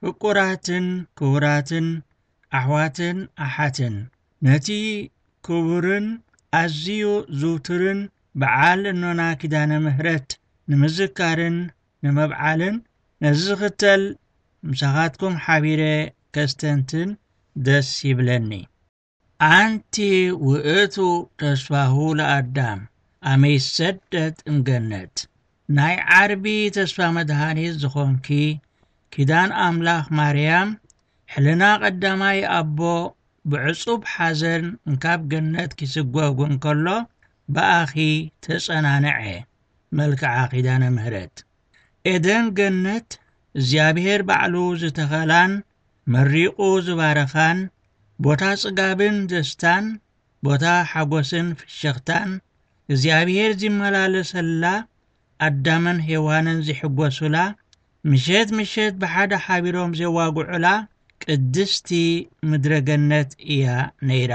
ፍቁራትን ክቡራትን ኣሕዋትን ኣሓትን፣ ነቲ ክቡርን ኣዝዩ ዝውቱርን በዓል እኖና ኪዳነ ምሕረት ንምዝካርን ንምብዓልን፣ ነዚ ዝኽተል ምሳኻትኩም ሓቢረ ከስተንትን ደስ ይብለኒ። ኣንቲ ውእቱ ተስፋሁ ለኣዳም፣ ኣመ ይሰደድ እምገነት። ናይ ዓርቢ ተስፋ መድሃኒት ዝኾንኪ፣ ኪዳን ኣምላኽ ማርያም፣ ሕልና ቀዳማይ ኣቦ ብዕጹብ ሓዘን እንካብ ገነት ኪስጎግ እንከሎ፣ ብኣኺ ተጸናንዐ። መልክዓ ኪዳነ ምህረት። ኤደን ገነት እግዚኣብሔር ባዕሉ ዝተኸላን መሪቑ ዝባረኻን፣ ቦታ ጽጋብን ደስታን፣ ቦታ ሓጎስን ፍሽኽታን፣ እግዚኣብሔር ዚመላለሰላ፣ ኣዳምን ሄዋንን ዚሕጎሱላ፣ ምሸት ምሸት ብሓደ ሓቢሮም ዜዋግዑላ ቅድስቲ ምድረ ገነት እያ ነይራ።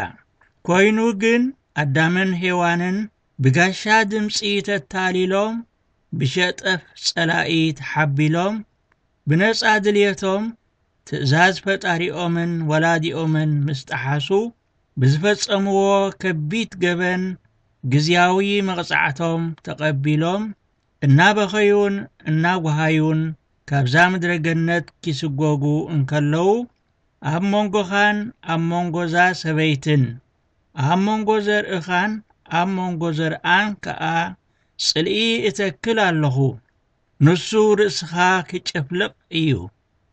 ኮይኑ ግን ኣዳምን ሄዋንን ብጋሻ ድምጺ ተታሊሎም፣ ብሸጠፍ ጸላኢ ተሓቢሎም፣ ብነጻ ድልየቶም ትእዛዝ ፈጣሪኦምን ወላዲኦምን ምስ ጠሓሱ፣ ብዝፈጸምዎ ከቢድ ገበን ግዝያዊ መቕጻዕቶም ተቐቢሎም፣ እናበኸዩን እናጓሃዩን ካብዛ ምድረ ገነት ኪስጎጉ እንከለዉ፣ ኣብ መንጎኻን ኣብ መንጎዛ ሰበይትን፣ ኣብ መንጎ ዘርእኻን ኣብ መንጎ ዘርኣን ከኣ ጽልኢ እተክል ኣለኹ። ንሱ ርእስኻ ኪጨፍልቕ እዩ፣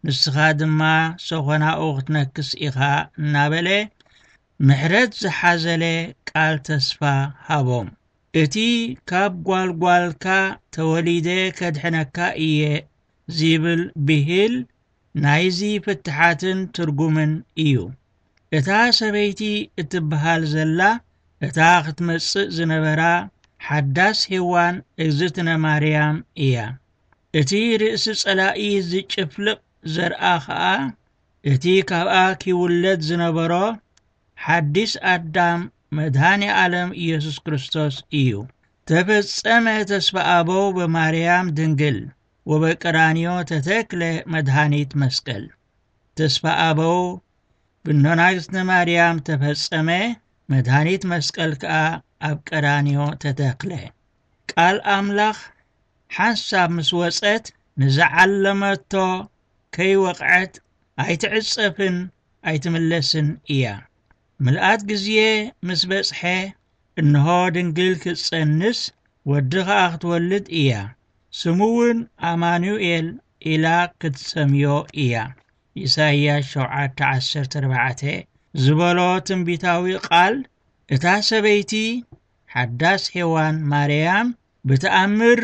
ንስኻ ድማ ሰኾናኡ ክትነክስ ኢኻ እናበለ ምሕረት ዝሓዘለ ቃል ተስፋ ሃቦም። እቲ ካብ ጓልጓልካ ተወሊደ ከድሕነካ እየ ዚብል ብሂል ናይዚ ፍትሓትን ትርጉምን እዩ። እታ ሰበይቲ እትበሃል ዘላ እታ ክትመጽእ ዝነበራ ሓዳስ ሄዋን እግዝእትነ ማርያም እያ። እቲ ርእሲ ጸላኢ ዝጭፍልቕ ዘርኣ ኸኣ እቲ ካብኣ ኪውለድ ዝነበሮ ሓዲስ ኣዳም መድሃኔ ዓለም ኢየሱስ ክርስቶስ እዩ። ተፈጸመ ተስፋ ኣበው በማርያም ድንግል ወበቀራንዮ ተተክለ መድሃኒት መስቀል። ተስፋ ኣበው ብኖናግስነ ማርያም ተፈጸመ፣ መድሃኒት መስቀል ከኣ ኣብ ቀራንዮ ተተክለ። ቃል ኣምላኽ ሓንሳብ ምስ ወጸት ንዝዓለመቶ ከይወቕዐት ኣይትዕጸፍን ኣይትምለስን እያ። ምልኣት ግዜ ምስ በጽሐ፣ እንሆ ድንግል ክትጸንስ ወዲ ኸኣ ክትወልድ እያ፣ ስሙ እውን ኣማኑኤል ኢላ ክትሰምዮ እያ። ኢሳይያስ ሸውዓተ ዓሰርተ ኣርባዕተ ዝበሎ ትንቢታዊ ቃል፣ እታ ሰበይቲ ሓዳስ ሄዋን ማርያም ብተኣምር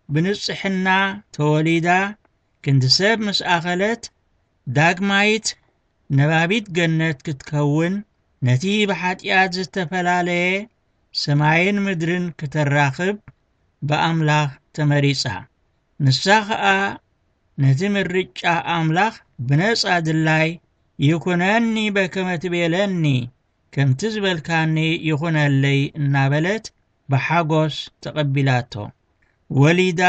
ብንጽሕና ተወሊዳ ክንዲ ሰብ ምስ ኣኸለት፣ ዳግማይት ነባቢት ገነት ክትከውን፣ ነቲ ብሓጢኣት ዝተፈላለየ ሰማይን ምድርን ክተራኽብ ብኣምላኽ ተመሪጻ። ንሳ ኸኣ ነቲ ምርጫ ኣምላኽ ብነጻ ድላይ ይኩነኒ በከመ ትቤለኒ፣ ከምቲ ዝበልካኒ ይኹነለይ እናበለት ብሓጎስ ተቐቢላቶ። ወሊዳ፣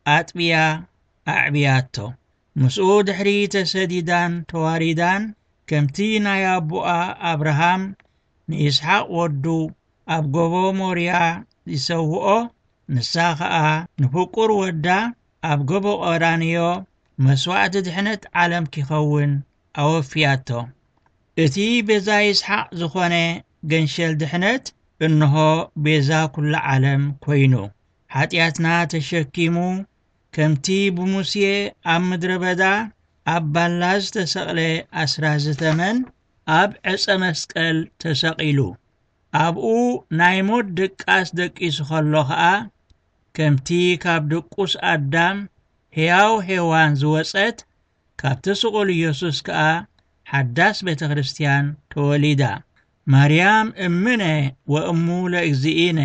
ኣጥብያ፣ ኣዕብያቶ። ምስኡ ድሕሪ ተሰዲዳን ተዋሪዳን፣ ከምቲ ናይ ኣቦኣ ኣብርሃም ንይስሓቅ ወዱ ኣብ ጎቦ ሞርያ ይሰውኦ፣ ንሳ ኸኣ ንፍቁር ወዳ ኣብ ጎቦ ቀራንዮ መስዋዕቲ ድሕነት ዓለም ኪኸውን ኣወፍያቶ። እቲ ቤዛ ይስሓቅ ዝኾነ ገንሸል ድሕነት፣ እንሆ ቤዛ ኩሉ ዓለም ኮይኑ፣ ሓጢኣትና ተሸኪሙ፣ ከምቲ ብሙሴ ኣብ ምድረ በዳ ኣብ ባላ ዝተሰቕለ ኣስራዚ ተመን ኣብ ዕጸ መስቀል ተሰቒሉ። ኣብኡ ናይ ሞት ድቃስ ደቂሱ ኸሎ ኸኣ፣ ከምቲ ካብ ድቁስ ኣዳም ሕያው ሄዋን ዝወጸት፣ ካብቲ ስቑል ኢየሱስ ከኣ ሓዳስ ቤተ ክርስትያን ተወሊዳ። ማርያም እምነ ወእሙ ለእግዚእነ፣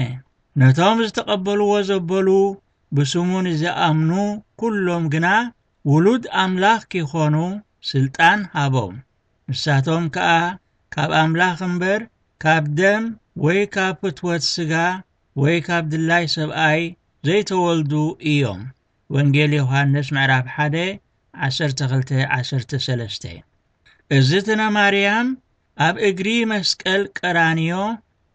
ነቶም ዝተቐበልዎ ዘበሉ ብስሙ ንዝኣምኑ ኩሎም ግና ውሉድ ኣምላኽ ኪኾኑ ስልጣን ሃቦም። ንሳቶም ከኣ ካብ ኣምላኽ እምበር፣ ካብ ደም ወይ ካብ ፍትወት ስጋ ወይ ካብ ድላይ ሰብኣይ ዘይተወልዱ እዮም። ወንጌል ዮሃንስ ምዕራፍ ሓደ ዓሰርተ ክልተ ዓሰርተ ሰለስተ። እግዝእትነ ማርያም ኣብ እግሪ መስቀል ቀራንዮ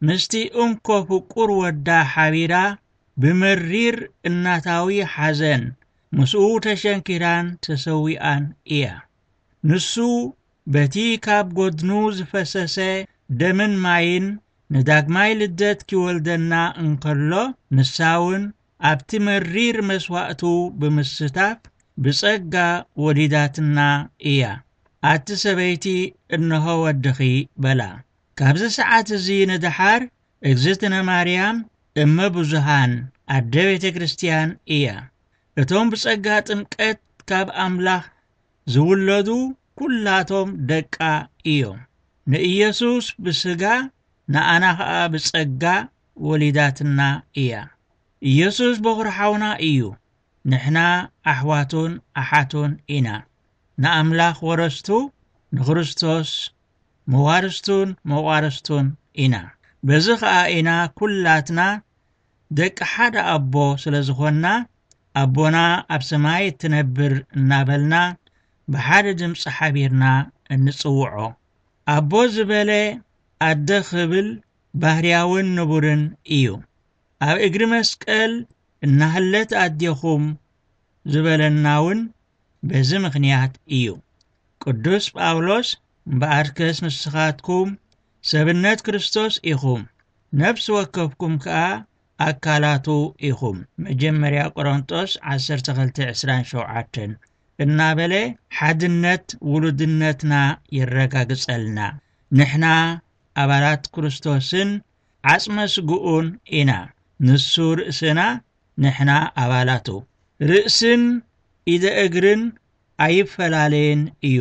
ምስቲ እንኮ ፍቁር ወዳ ሓቢራ ብመሪር እናታዊ ሓዘን ምስኡ ተሸንኪራን ተሰዊኣን እያ። ንሱ በቲ ካብ ጎድኑ ዝፈሰሰ ደምን ማይን ንዳግማይ ልደት ኪወልደና እንከሎ፣ ንሳ እውን ኣብቲ መሪር መስዋእቱ ብምስታፍ ብጸጋ ወሊዳትና እያ። ኣቲ ሰበይቲ፣ እንሆ ወድኺ በላ። ካብዚ ሰዓት እዚ ንደሓር እግዝእትነ ማርያም እመ ብዙሃን ኣደ ቤተ ክርስቲያን እያ። እቶም ብጸጋ ጥምቀት ካብ ኣምላኽ ዝውለዱ ኩላቶም ደቃ እዮም። ንኢየሱስ ብስጋ ንኣና ኸኣ ብጸጋ ወሊዳትና እያ። ኢየሱስ በኹሪ ሓውና እዩ። ንሕና ኣሕዋቱን ኣሓቱን ኢና። ንኣምላኽ ወረስቱ፣ ንክርስቶስ መዋርስቱን መቋርስቱን ኢና። በዚ ኸኣ ኢና ኩላትና ደቂ ሓደ ኣቦ ስለ ዝኾንና፣ ኣቦና ኣብ ሰማይ እትነብር እናበልና ብሓደ ድምፂ ሓቢርና እንጽውዖ። ኣቦ ዝበለ ኣደ ክብል ባህርያውን ንቡርን እዩ። ኣብ እግሪ መስቀል እናህለት ኣዴኹም ዝበለና እውን በዚ ምኽንያት እዩ። ቅዱስ ጳውሎስ፣ እምበኣርከስ ንስኻትኩም ሰብነት ክርስቶስ ኢኹም፣ ነፍሲ ወከፍኩም ከኣ ኣካላቱ ኢኹም። መጀመርያ ቆሮንጦስ ዓሰርተ ክልተ ዕስራን ሸውዓተን እናበለ ሓድነት ውሉድነትና የረጋግጸልና። ንሕና ኣባላት ክርስቶስን ዓጽመ ስግኡን ኢና። ንሱ ርእስና፣ ንሕና ኣባላቱ። ርእስን ኢደ እግርን ኣይፈላለየን እዩ።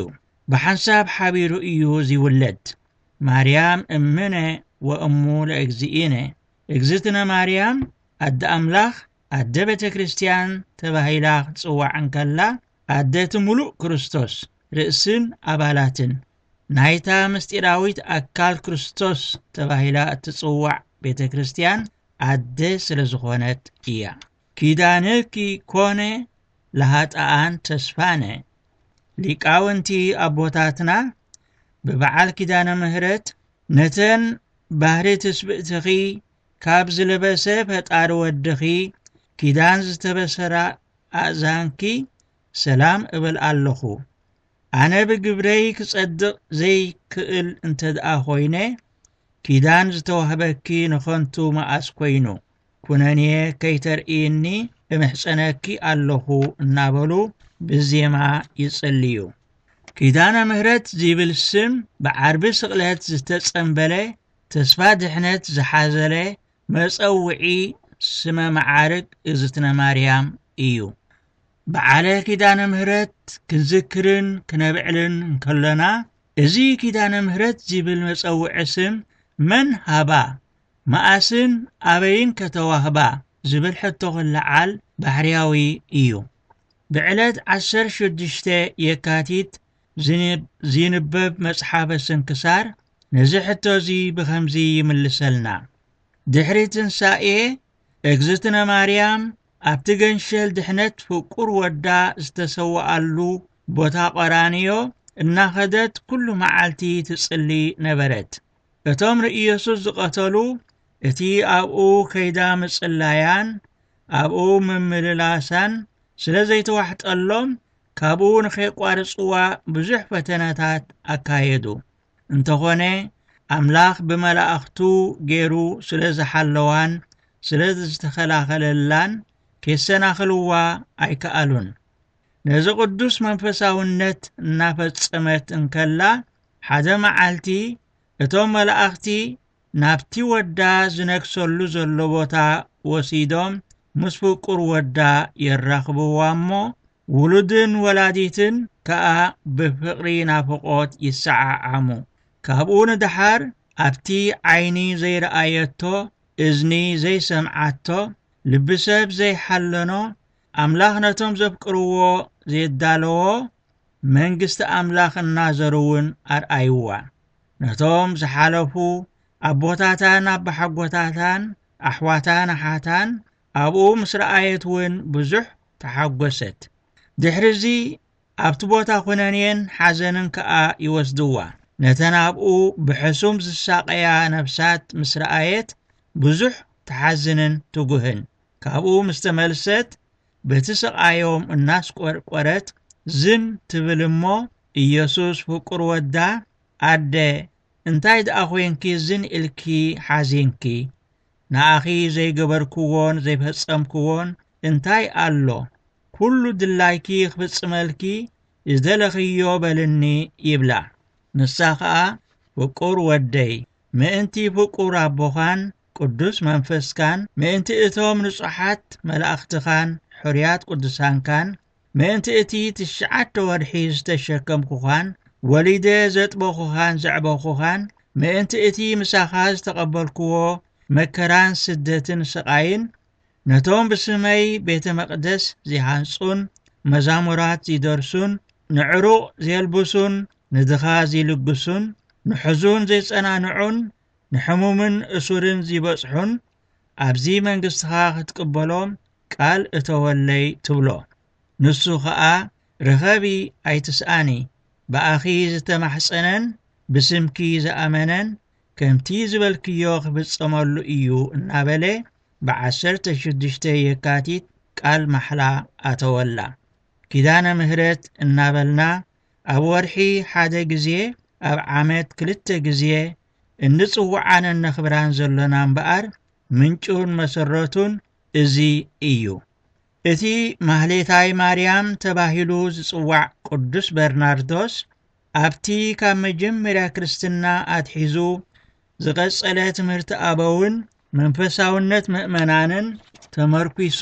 ብሓንሳብ ሓቢሩ እዩ ዚውለድ። ማርያም እምነ ወእሙ ለእግዚእነ። እግዝእትነ ማርያም ኣደ ኣምላኽ፣ ኣደ ቤተ ክርስቲያን ተባሂላ ክትጽዋዕ እንከላ፣ ኣደ እቲ ምሉእ ክርስቶስ፣ ርእስን ኣባላትን ናይታ ምስጢራዊት ኣካል ክርስቶስ ተባሂላ እትጽዋዕ ቤተ ክርስቲያን ኣደ ስለ ዝኾነት እያ። ኪዳንኪ ኮነ ለሃጣኣን ተስፋነ። ሊቃውንቲ ኣቦታትና ብበዓል ኪዳነ ምህረት ነተን ባህሪ ትስብእትኺ ካብ ዝለበሰ ፈጣሪ ወድኺ ኪዳን ዝተበሰራ ኣእዛንኪ ሰላም እብል ኣለኹ። ኣነ ብግብረይ ክጸድቕ ዘይክእል እንተ ደኣ ኾይነ፣ ኪዳን ዝተዋህበኪ ንኸንቱ መኣስ ኮይኑ፣ ኩነኔ ከይተርእይኒ እምሕጸነኪ ኣለኹ እናበሉ ብዜማ ይጽልዩ። ኪዳነ ምህረት ዚብል ስም ብዓርቢ ስቕለት ዝተጸምበለ ተስፋ ድሕነት ዝሓዘለ መጸውዒ ስመ መዓርግ እግዝእትነ ማርያም እዩ። በዓለ ኪዳነ ምህረት ክንዝክርን ክነብዕልን እንከሎና፣ እዚ ኪዳነ ምህረት ዚብል መጸውዒ ስም መን ሃባ፣ መኣስን ኣበይን ከተዋህባ ዝብል ሕቶ ክለዓል ባህርያዊ እዩ። ብዕለት ዓሰርተ ሽዱሽተ የካቲት ዝንብ-፣ ዝንበብ መጽሓፈ ስንክሳር ነዚ ሕቶ እዚ ብኸምዚ ይምልሰልና። ድሕሪ ትንሳኤ እግዝእትነ ማርያም ኣብቲ ገንሸል ድሕነት ፍቁር ወዳ ዝተሰወኣሉ ቦታ ቀራንዮ እናኸደት ኩሉ መዓልቲ ትጽሊ ነበረት። እቶም ንኢየሱስ ዝቐተሉ እቲ ኣብኡ ከይዳ ምጽላያን ኣብኡ ምምልላሳን ስለ ዘይተዋሕጠሎም ካብኡ ንኸይቋርጽዋ ብዙሕ ፈተነታት ኣካየዱ። እንተኾነ ኣምላኽ ብመላእኽቱ ገይሩ ስለ ዝሓለዋን ስለ ዝተኸላኸለላን ኬሰናኽልዋ ኣይከኣሉን። ነዚ ቅዱስ መንፈሳውነት እናፈጸመት እንከላ ሓደ መዓልቲ እቶም መላእኽቲ ናብቲ ወዳ ዝነግሰሉ ዘሎ ቦታ ወሲዶም ምስ ፍቁር ወዳ የራኽብዋ እሞ ውሉድን ወላዲትን ከኣ ብፍቕሪ ናፍቖት ይሰዓዓሙ። ካብኡ ንደሓር ኣብቲ ዓይኒ ዘይረኣየቶ፣ እዝኒ ዘይሰምዓቶ፣ ልቢ ሰብ ዘይሓለኖ፣ ኣምላኽ ነቶም ዘፍቅርዎ ዘዳለዎ መንግስቲ ኣምላኽ እናዘሩ እውን ኣርኣይዋ። ነቶም ዝሓለፉ ኣቦታታን ኣባሓጎታታን ኣሕዋታን ኣሓታን ኣብኡ ምስ ረኣየት እውን ብዙሕ ተሓጎሰት። ድሕሪ እዚ ኣብቲ ቦታ ኩነኔን ሓዘንን ከኣ ይወስድዋ። ነተን ኣብኡ ብሕሱም ዝሳቐያ ነፍሳት ምስ ረኣየት ብዙሕ ትሓዝንን ትጉህን። ካብኡ ምስ ተመልሰት በቲ ስቓዮም እናስቆርቆረት ዝን ትብል እሞ፣ ኢየሱስ ፍቁር ወዳ፣ ኣደ፣ እንታይ ደኣ ኾይንኪ ዝን ኢልኪ ሓዚንኪ? ንኣኺ ዘይገበርክዎን ዘይፈጸምክዎን እንታይ ኣሎ? ኩሉ ድላይኪ ክፍጽመልኪ ዝደለኽዮ በልኒ ይብላ። ንሳ ኸኣ ፍቁር ወደይ፣ ምእንቲ ፍቁር ኣቦኻን ቅዱስ መንፈስካን፣ ምእንቲ እቶም ንጹሓት መላእኽትኻን ሕሩያት ቅዱሳንካን፣ ምእንቲ እቲ ትሽዓተ ወርሒ ዝተሸከምኩኻን ወሊደ ዘጥበኹኻን ዘዕበኹኻን፣ ምእንቲ እቲ ምሳኻ ዝተቐበልክዎ መከራን ስደትን ስቓይን፣ ነቶም ብስመይ ቤተ መቕደስ ዚሃንጹን መዛሙራት ዚደርሱን፣ ንዕሩቕ ዜልብሱን ንድኻ ዚልግሱን፣ ንሕዙን ዜጸናንዑን ንሕሙምን እሱርን ዚበጽሑን ኣብዚ መንግስትኻ ክትቅበሎም ቃል እተወለይ ትብሎ። ንሱ ኸኣ ርኸቢ ኣይትስኣኒ፣ ብኣኺ ዝተማሕጸነን ብስምኪ ዝኣመነን ከምቲ ዝበልክዮ ክፍጸመሉ እዩ እናበለ ብዓሰርተ ሽዱሽተ የካቲት ቃል ማሕላ ኣተወላ። ኪዳነ ምህረት እናበልና ኣብ ወርሒ ሓደ ግዜ ኣብ ዓመት ክልተ ግዜ እንጽውዓን እነኽብራን ዘሎና እምበኣር ምንጩን መሰረቱን እዚ እዩ። እቲ ማህሌታይ ማርያም ተባሂሉ ዝጽዋዕ ቅዱስ በርናርዶስ ኣብቲ ካብ መጀመርያ ክርስትና ኣትሒዙ ዝቐጸለ ትምህርቲ ኣበውን መንፈሳውነት ምእመናንን ተመርኲሱ፣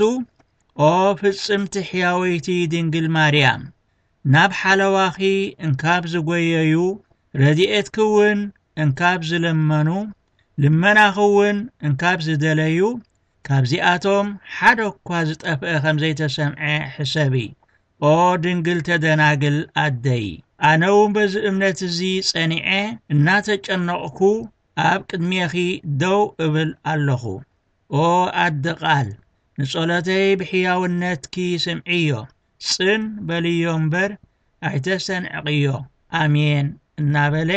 ኦ ፍጽምቲ ሕያወይቲ ድንግል ማርያም፣ ናብ ሓለዋኺ እንካብ ዝጎየዩ፣ ረድኤትኪ እውን እንካብ ዝለመኑ፣ ልመናኺ እውን እንካብ ዝደለዩ፣ ካብዚኣቶም ሓደ እኳ ዝጠፍአ ከም ዘይተሰምዐ ሕሰቢ። ኦ ድንግልተ ደናግል ኣደይ፣ ኣነ እውን በዚ እምነት እዚ ጸኒዐ እናተጨነቕኩ ኣብ ቅድሜኺ ደው እብል ኣለኹ። ኦ ኣደ ቃል፣ ንጸሎተይ ብሕያውነትኪ ስምዕዮ፣ ጽን በልዮ እምበር ኣይተሰንዕቕዮ። ኣሜን እናበለ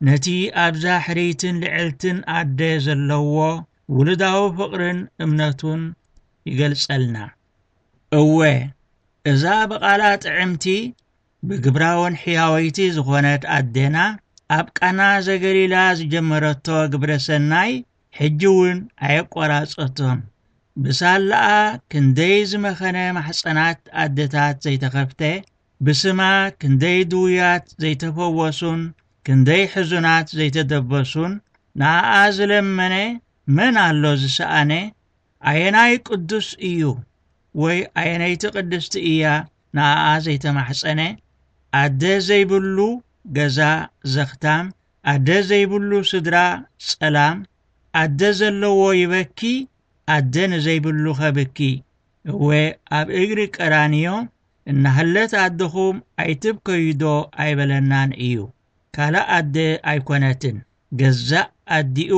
ነቲ ኣብዛ ሕርይትን ልዕልትን ኣደ ዘለዎ ውሉዳዊ ፍቕርን እምነቱን ይገልጸልና። እወ፣ እዛ ብቓላ ጥዕምቲ ብግብራውን ሕያወይቲ ዝኾነት ኣዴና ኣብ ቃና ዘገሊላ ዝጀመረቶ ግብረ ሰናይ ሕጂ እውን ኣየቆራጸቶን። ብሳላኣ ክንደይ ዝመኸነ ማሕጸናት ኣደታት ዘይተኸፍተ፣ ብስማ ክንደይ ድውያት ዘይተፈወሱን ክንደይ ሕዙናት ዘይተደበሱን፣ ንኣኣ ዝለመነ መን ኣሎ ዝሰኣነ? ኣየናይ ቅዱስ እዩ ወይ ኣየነይቲ ቅድስቲ እያ ንኣኣ ዘይተማሕጸነ? ኣደ ዘይብሉ ገዛ ዘኽታም፣ ኣደ ዘይብሉ ስድራ ጸላም፣ ኣደ ዘለዎ ይበኪ፣ ኣደ ንዘይብሉ ኸብኪ። እወ፣ ኣብ እግሪ ቀራንዮ እናሃለት ኣደኹም ኣይትብከዩዶ ኣይበለናን እዩ። ካልእ ኣደ ኣይኮነትን፣ ገዛእ ኣዲኡ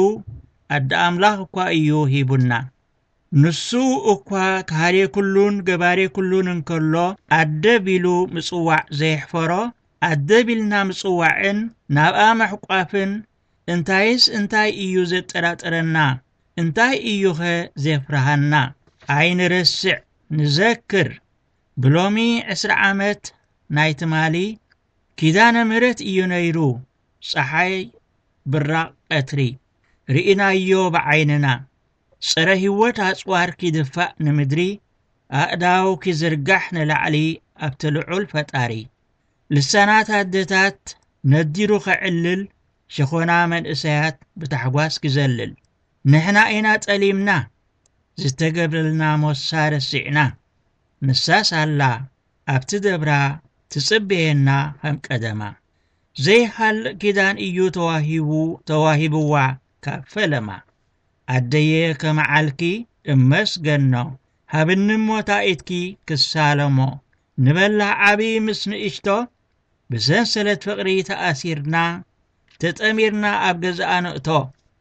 ኣደ ኣምላኽ እኳ እዩ ሂቡና። ንሱ እኳ ከሃዴ ኩሉን ገባሬ ኩሉን እንከሎ፣ ኣደ ቢሉ ምጽዋዕ ዘየሕፈሮ፣ ኣደ ቢልና ምጽዋዕን ናብኣ ምሕቋፍን እንታይስ እንታይ እዩ ዘጠራጥረና? እንታይ እዩኸ ዜፍርሃና? ኣይንረስዕ፣ ንዘክር። ብሎሚ ዕስራ ዓመት ናይ ትማሊ ኪዳነ ምህረት እዩ ነይሩ። ጸሓይ ብራቕ ቀትሪ ርኢናዮ ብዓይንና። ጸረ ህይወት ኣጽዋር ኪድፋእ ንምድሪ፣ ኣእዳው ኪዝርጋሕ ንላዕሊ ኣብቲ ልዑል ፈጣሪ። ልሳናት ኣደታት ነዲሩ ኸዕልል፣ ሸኾና መንእሰያት ብታሕጓስ ኪዘልል። ንሕና ኢና ጠሊምና፣ ዝተገብረልና ሞሳ ረሲዕና። ንሳስ ኣላ ኣብቲ ደብራ ትጽበየና ከም ቀደማ። ዘይሃልቕ ኪዳን እዩ ተዋሂቡ፣ ተዋሂብዋ ካብ ፈለማ። ኣደየ ከመዓልኪ እመስገኖ፣ ሃብኒ እሞ ታኢትኪ ክሳለሞ። ንበላዕ ዓቢ ምስ ንእሽቶ፣ ብሰንሰለት ፍቕሪ ተኣሲርና፣ ተጠሚርና ኣብ ገዛኣ ንእቶ።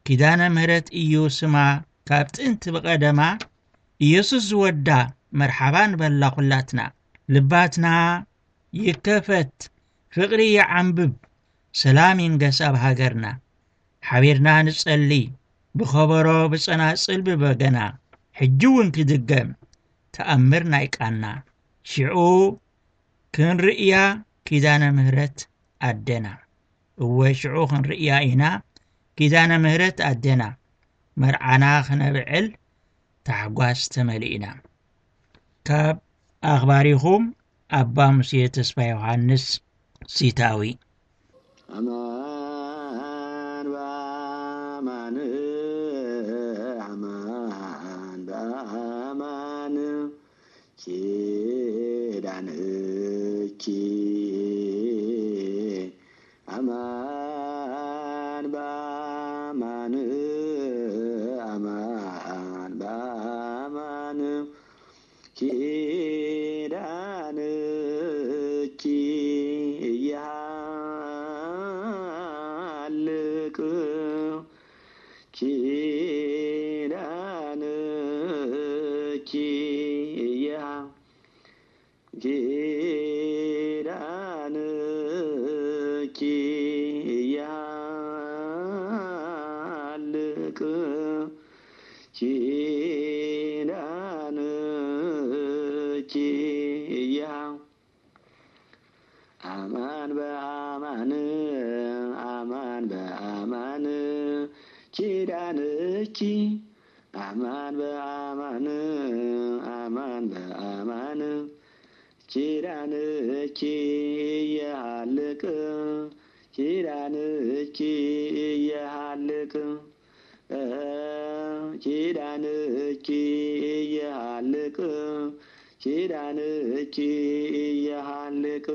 ኪዳነ ምህረት እዩ ስማ ካብ ጥንቲ ብቐደማ፣ ኢየሱስ ዝወዳ መርሓባ ንበላ ኩላትና። ልባትና ይከፈት፣ ፍቕሪ ይዓንብብ፣ ሰላም ይንገስ ኣብ ሃገርና። ሓቢርና ንጸሊ፣ ብኸበሮ ብጸናጽል ብበገና፣ ሕጂ እውን ክድገም፣ ተኣምር ናይ ቃና። ሽዑ ክንርእያ ኪዳነ ምህረት ኣደና። እወ ሽዑ ክንርእያ ኢና ኪዳነ ምህረት ኣደና። መርዓና ክነብዕል ታሕጓስ ተመሊእና። ካብ ኣኽባሪኹም ኣባ ሙሴ ተስፋ ዮሃንስ ሲታዊ። ኣማን በኣማን፣ ኣማን በኣማን፣ ኪዳንኪ ኣማን በኣማን፣ ኣማን በኣማን፣ ኪዳንኪ ይሃልቅ፣ ኪዳንኪ ይሃ-፣ ኪዳንኪ ይሃልቅ፣ ኪዳንኪ ይሃ-፣ ኣማን በኣማን፣ ኣማን በኣማን፣ ኪዳንኪ ኣማን በኣማን፣ ኣማን በኣማን፣ ኪዳንኪ ይሃልቅ፣ ኪዳንኪ ይሃልቅ፣ ኪዳንኪ ይሃልቅ፣ ኪዳንኪ ይሃልቅ።